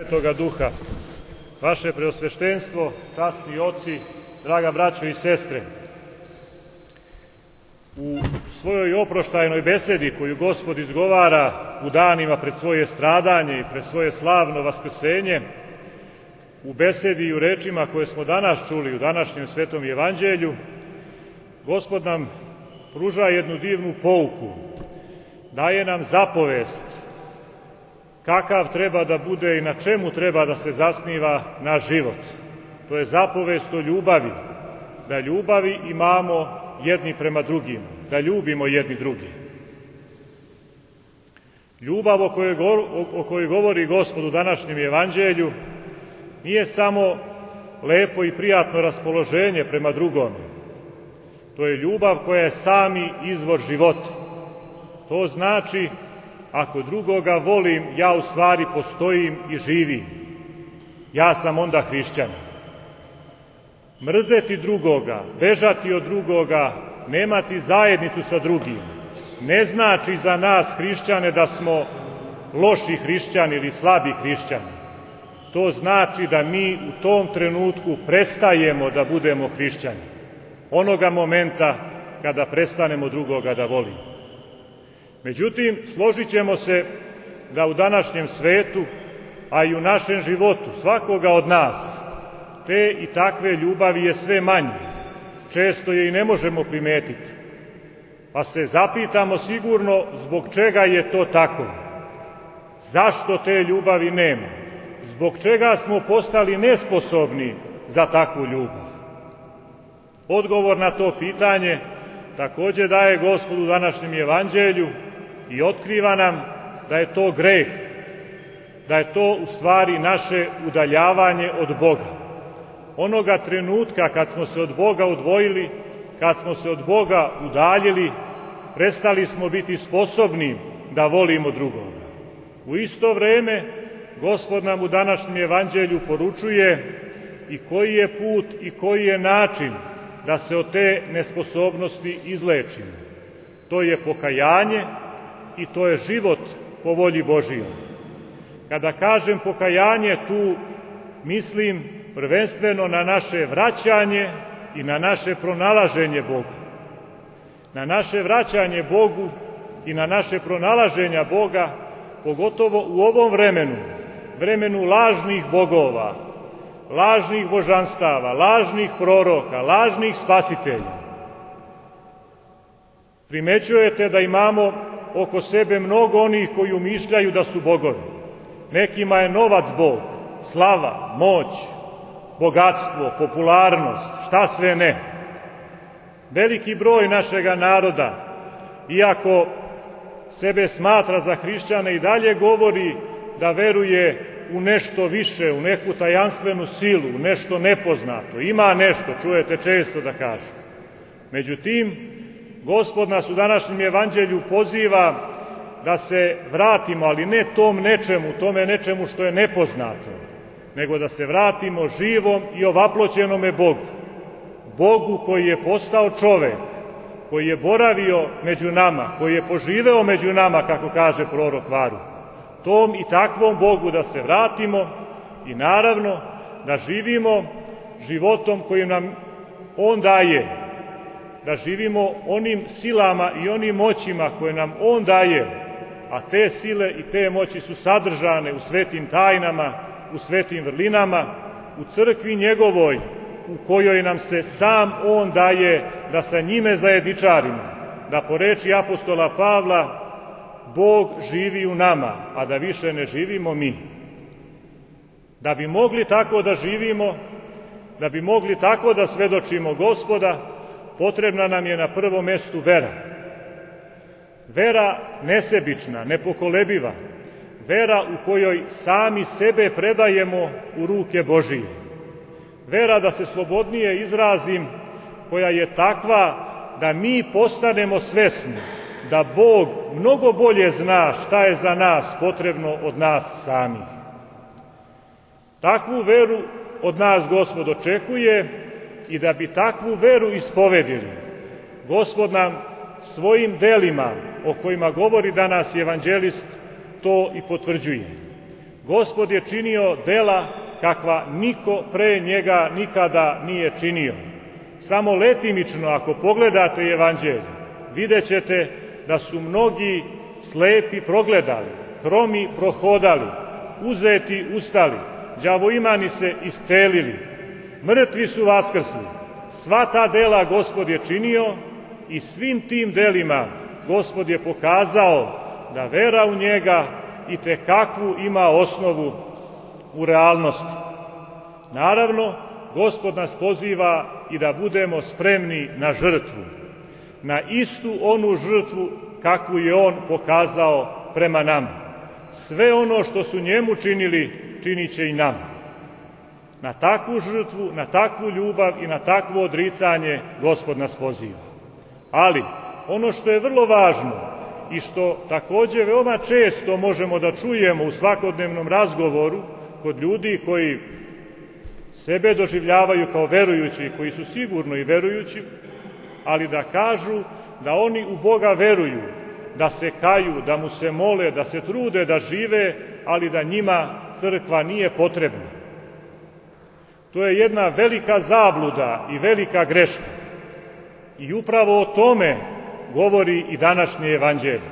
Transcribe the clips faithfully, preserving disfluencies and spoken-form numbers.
Svetoga Duha, vaše preosveštenstvo, časni oci, draga braćo i sestre, u svojoj oproštajnoj besedi koju Gospod izgovara u danima pred svoje stradanje i pred svoje slavno vaskrsenje, u besedi i u rečima koje smo danas čuli u današnjem Svetom Evanđelju, Gospod nam pruža jednu divnu pouku, daje nam zapovest kakav treba da bude i na čemu treba da se zasniva naš život. To je zapovest o ljubavi, da ljubavi imamo jedni prema drugima, da ljubimo jedni drugi. Ljubav o kojoj, o kojoj govori Gospod u današnjem Evanđelju nije samo lepo i prijatno raspoloženje prema drugome. To je ljubav koja je sami izvor života. To znači, ako drugoga volim, ja u stvari postojim i živim. Ja sam onda hrišćanin. Mrzeti drugoga, bežati od drugoga, nemati zajednicu sa drugim, ne znači za nas hrišćane da smo loši hrišćani ili slabi hrišćani. To znači da mi u tom trenutku prestajemo da budemo hrišćani. Onoga momenta kada prestanemo drugoga da volimo. Međutim, složit ćemo se da u današnjem svetu, a i u našem životu, svakoga od nas, te i takve ljubavi je sve manje. Često je i ne možemo primetiti. Pa se zapitamo sigurno zbog čega je to tako. Zašto te ljubavi nema? Zbog čega smo postali nesposobni za takvu ljubav? Odgovor na to pitanje takođe daje Gospod u današnjem Evanđelju i otkriva nam da je to greh, da je to u stvari naše udaljavanje od Boga. Onoga trenutka kad smo se od Boga odvojili, kad smo se od Boga udaljili, prestali smo biti sposobni da volimo drugoga. U isto vreme, Gospod nam u današnjem Evanđelju poručuje i koji je put i koji je način da se od te nesposobnosti izlečimo. To je pokajanje i to je život po volji Božijoj. Kada kažem pokajanje, tu mislim prvenstveno na naše vraćanje i na naše pronalaženje Boga. Na naše vraćanje Bogu i na naše pronalaženja Boga, pogotovo u ovom vremenu, vremenu lažnih bogova, lažnih božanstava, lažnih proroka, lažnih spasitelja. Primećujete da imamo oko sebe mnogo onih koji umišljaju da su bogovi. Nekima je novac Bog, slava, moć, bogatstvo, popularnost, šta sve ne. Veliki broj našega naroda, iako sebe smatra za hrišćane, i dalje govori da veruje u nešto više, u neku tajanstvenu silu, u nešto nepoznato. Ima nešto, čujete često da kaže. Međutim, Gospod nas u današnjem Evanđelju poziva da se vratimo, ali ne tom nečemu, tome nečemu što je nepoznato, nego da se vratimo živom i ovaploćenome Bogu. Bogu koji je postao čovek, koji je boravio među nama, koji je poživeo među nama, kako kaže prorok Varuh. Tom i takvom Bogu da se vratimo i naravno da živimo životom kojim nam On daje, da živimo onim silama i onim moćima koje nam On daje, a te sile i te moći su sadržane u svetim tajnama, u svetim vrlinama, u crkvi njegovoj, u kojoj nam se sam On daje da sa njime zajedničarimo, da po reči apostola Pavla Bog živi u nama, a da više ne živimo mi. Da bi mogli tako da živimo, da bi mogli tako da svedočimo Gospoda, potrebna nam je na prvom mestu vera. Vera nesebična, nepokolebiva, vera u kojoj sami sebe predajemo u ruke Božije. Vera, da se slobodnije izrazim, koja je takva da mi postanemo svesni da Bog mnogo bolje zna šta je za nas potrebno od nas samih. Takvu veru od nas Gospod očekuje i da bi takvu veru ispovedili, Gospod nam svojim delima, o kojima govori danas evanđelist, to i potvrđuje. Gospod je činio dela kakva niko pre njega nikada nije činio. Samo letimično, ako pogledate evanđelje, vidjet ćete da su mnogi slepi progledali, hromi prohodali, uzeti ustali, đavoimani se iscelili, mrtvi su vaskrsli. Sva ta dela Gospod je činio i svim tim delima Gospod je pokazao da vera u njega i te kakvu ima osnovu u realnosti. Naravno, Gospod nas poziva i da budemo spremni na žrtvu, na istu onu žrtvu kakvu je on pokazao prema nama. Sve ono što su njemu činili, činit će i nama. Na takvu žrtvu, na takvu ljubav i na takvo odricanje Gospod nas poziva. Ali, ono što je vrlo važno i što takođe veoma često možemo da čujemo u svakodnevnom razgovoru kod ljudi koji sebe doživljavaju kao verujući, koji su sigurno i verujući, ali da kažu da oni u Boga veruju, da se kaju, da mu se mole, da se trude da žive, ali da njima crkva nije potrebna. To je jedna velika zabluda i velika greška. I upravo o tome govori i današnje evanđelje.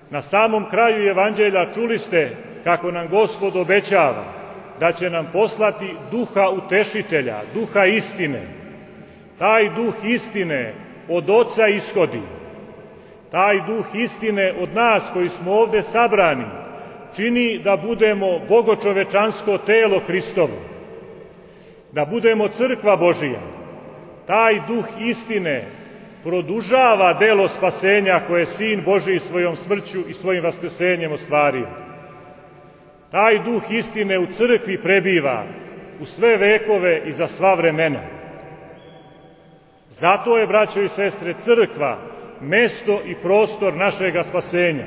Na samom kraju evanđelja čuli ste kako nam Gospod obećava da će nam poslati duha utešitelja, duha istine. Taj duh istine od Oca ishodi. Taj duh istine od nas koji smo ovde sabrani čini da budemo bogočovečansko telo Hristovo, da budemo crkva Božija. Taj duh istine produžava delo spasenja koje je Sin Božiji svojom smrću i svojim vaskrsenjem ostvario. Taj duh istine u crkvi prebiva u sve vekove i za sva vremena. Zato je, braćo i sestre, crkva mesto i prostor našega spasenja.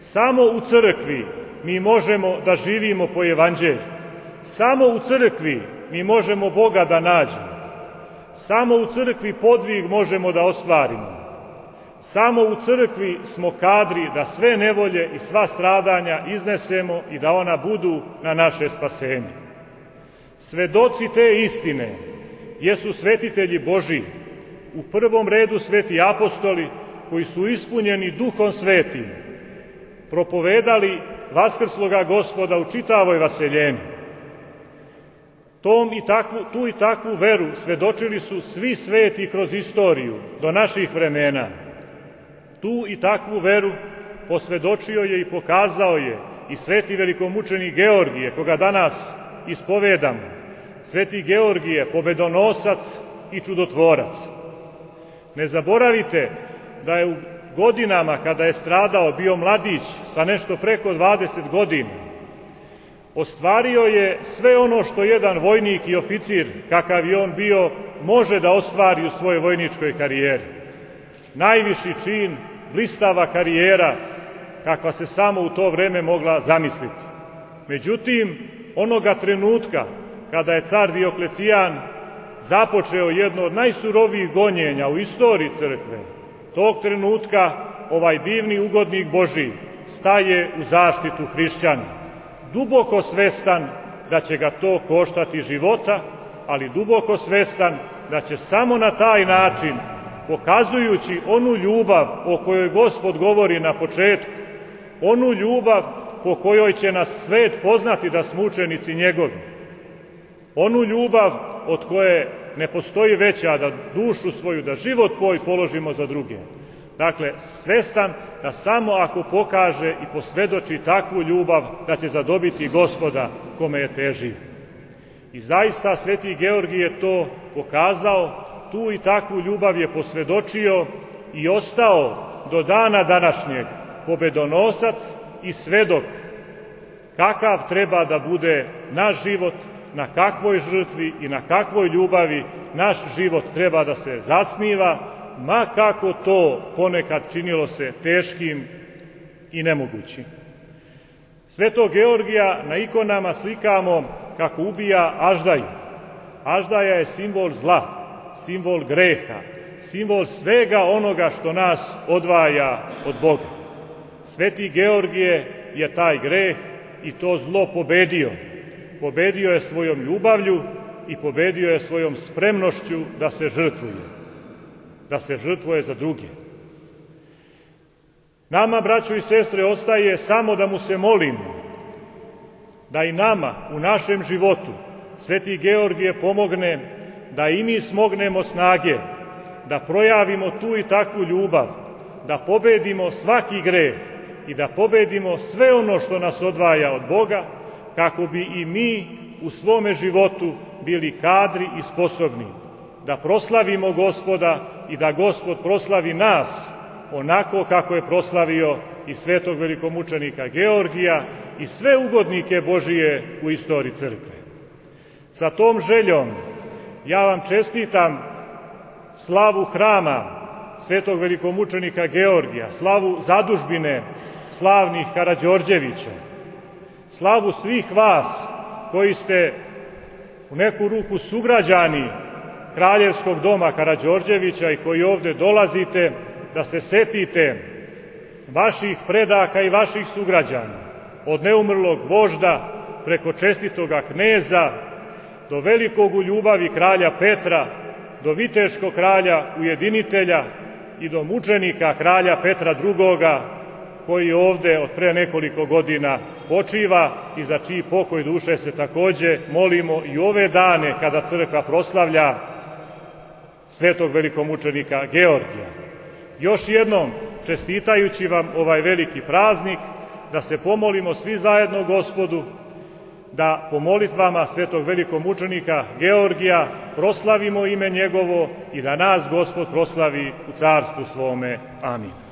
Samo u crkvi mi možemo da živimo po evanđelju. Samo u crkvi mi možemo Boga da nađemo. Samo u crkvi podvig možemo da ostvarimo. Samo u crkvi smo kadri da sve nevolje i sva stradanja iznesemo i da ona budu na naše spasenje. Svedoci te istine jesu svetitelji Božiji, u prvom redu sveti apostoli koji su ispunjeni Duhom Svetim, propovedali vaskrsloga Gospoda u čitavoj vaseljeni. Tom i takvu, tu i takvu veru svedočili su svi sveti kroz istoriju do naših vremena. Tu i takvu veru posvedočio je i pokazao je i sveti velikomučenik Georgije, koga danas ispovedamo. Sveti Georgije, pobedonosac i čudotvorac. Ne zaboravite da je u godinama kada je stradao, bio mladić sa nešto preko dvadeset godina, ostvario je sve ono što jedan vojnik i oficir, kakav je on bio, može da ostvari u svojoj vojničkoj karijeri. Najviši čin, blistava karijera, kakva se samo u to vreme mogla zamisliti. Međutim, onoga trenutka kada je car Dioklecijan započeo jedno od najsurovijih gonjenja u istoriji crkve, tog trenutka ovaj divni ugodnik Božiji staje u zaštitu hrišćana, duboko svestan da će ga to koštati života, ali duboko svestan da će samo na taj način, pokazujući onu ljubav o kojoj Gospod govori na početku, onu ljubav po kojoj će nas svet poznati da smo učenici njegovi, onu ljubav od koje ne postoji veća, da dušu svoju, da život svoj položimo za druge. Dakle, svestan da samo ako pokaže i posvedoči takvu ljubav, da će zadobiti Gospoda kome je teži. I zaista sveti Georgije je to pokazao, tu i takvu ljubav je posvedočio i ostao do dana današnjeg pobedonosac i svedok kakav treba da bude naš život, na kakvoj žrtvi i na kakvoj ljubavi naš život treba da se zasniva, ma kako to ponekad činilo se teškim i nemogućim. Svetog Georgija na ikonama slikamo kako ubija aždaju. Aždaja je simbol zla, simbol greha, simbol svega onoga što nas odvaja od Boga. Sveti Georgije je taj greh i to zlo pobedio. Pobedio je svojom ljubavlju i pobedio je svojom spremnošću da se žrtvuje, da se žrtvuje za druge. Nama, braćo i sestre, ostaje samo da mu se molimo, da i nama u našem životu Sveti Georgije pomogne da i mi smognemo snage, da projavimo tu i takvu ljubav, da pobedimo svaki greh i da pobedimo sve ono što nas odvaja od Boga, kako bi i mi u svome životu bili kadri i sposobni da proslavimo Gospoda i da Gospod proslavi nas onako kako je proslavio i svetog velikomučenika Georgija i sve ugodnike Božije u istoriji crkve. Sa tom željom ja vam čestitam slavu hrama svetog velikomučenika Georgija, slavu zadužbine slavnih Karađorđevića, slavu svih vas koji ste u neku ruku sugrađani Kraljevskog doma Karađorđevića i koji ovde dolazite da se setite vaših predaka i vaših sugrađana, od neumrlog vožda preko čestitoga kneza do velikog u ljubavi kralja Petra, do viteškog kralja ujedinitelja i do mučenika kralja Petra drugoga, koji ovde od pre nekoliko godina počiva i za čiji pokoj duše se takođe molimo i ove dane kada crkva proslavlja svetog velikomučenika Georgija. Još jednom, čestitajući vam ovaj veliki praznik, da se pomolimo svi zajedno Gospodu, da po molitvama svetog velikomučenika Georgija proslavimo ime njegovo i da nas Gospod proslavi u carstvu svome. Amin.